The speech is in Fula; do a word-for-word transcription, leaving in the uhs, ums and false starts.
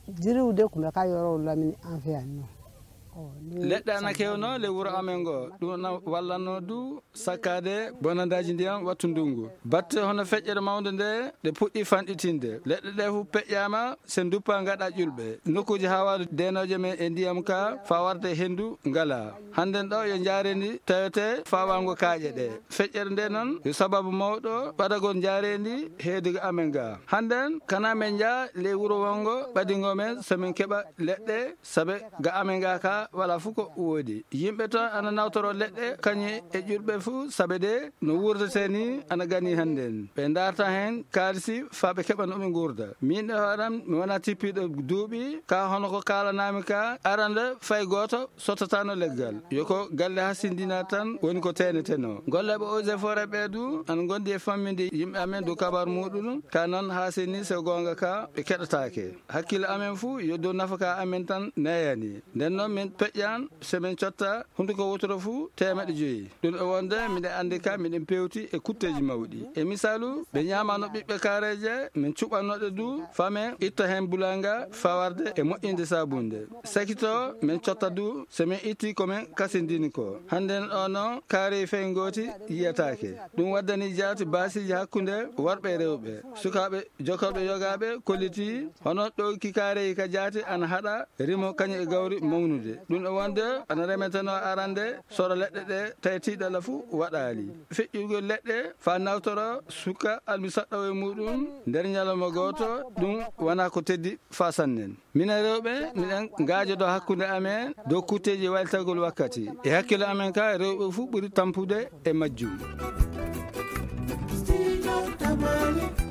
Jiriwde ko ɓe ka yoro lamini an fe anno. Leɗɗe ana kewno le wuro amen ngo, ɗum na wallanno du sakkaade bonandaaji ndiyam wattu ndungu. Batte hono feƴƴere mawnde nde, ɗe puɗɗi fanɗitinde. Leɗɗe ɗe fu peƴƴaama, se nduppa ngaɗa ƴulɓe. Nokkuuji haawaaɗo deenooje men e ndiyam ka, faa warde henndu ngala. Hannden ɗo yo njaareendi tawete faawaango kaaƴe ɗe. Feƴƴere nde noon yo sababu mawɗo ɓadagol njaareendi heedii ga amen ga. Hannden kana men njaa ley wuro wonngo ɓadingo men so min keɓa leɗɗe, sabe ga amen ga ka wala fu ko woodi. Yimɓe ton ana nawtoro leɗɗe kañum e ƴulɓe fu, sabe de no wurdete ni ana gani hannden. Ɓe ndaarta heen kaalisi faa ɓe keɓa no ɓe nguurda. Min e hooram mi wona tippiiɗo duuɓi ka hono ko kaalanami ka arande fay gooto sottataano leggal. Yo ko galle hasindina tan woni ko teeneteno. Gollooɓe eaux et forêt ɓe du ana ngondi e famminde yimɓe amen du kabar muɗum. Ka noon haa seni so goonga ka ɓe keɗataake. Hakkille amen fuu yo dow nafaka amen tan neyani. Nden noon min peƴƴan so min cotta hunduko wotoro fuu teemeɗe joyi. Ɗum e wonde miɗen anndi ka miɗen pewti e kutteeji mawɗi. E misaalu, ɓe ñaamano ɓiɓɓe kaareeje, min cuɓannoɗe du, faa men itta heen bulanga fawarde e moƴƴinde saabunde. Sakito men cotta du, so min itti ko men kasindini ko. Hannden o noon kaarey fey ngooti yiyataake. Ɗum waddani jaati baasiiji hakkunde worɓe e rewɓe. Sukaaɓe jokkorɓe yogaaɓe kollitii hono ɗowki kaarey ka jaati ana haɗa rimo kañum e gawri mawnude. Ɗum e wonde ana remeteno arande soro leɗɗe ɗe tawi tiiɗalla fuu waɗaali. Feƴƴugol leɗɗe faa nawtoro suka almisaɗɗo e muɗum nder ñalawma gooto, ɗum wona ko teddi faa sannen. Minen rewɓe, miɗen ngaajodo hakkunde amen dow kutteeji waytagol wakkati. E hakkilo amen ka, rewɓe fuu ɓuri tampude e majjum. Studio Tamale.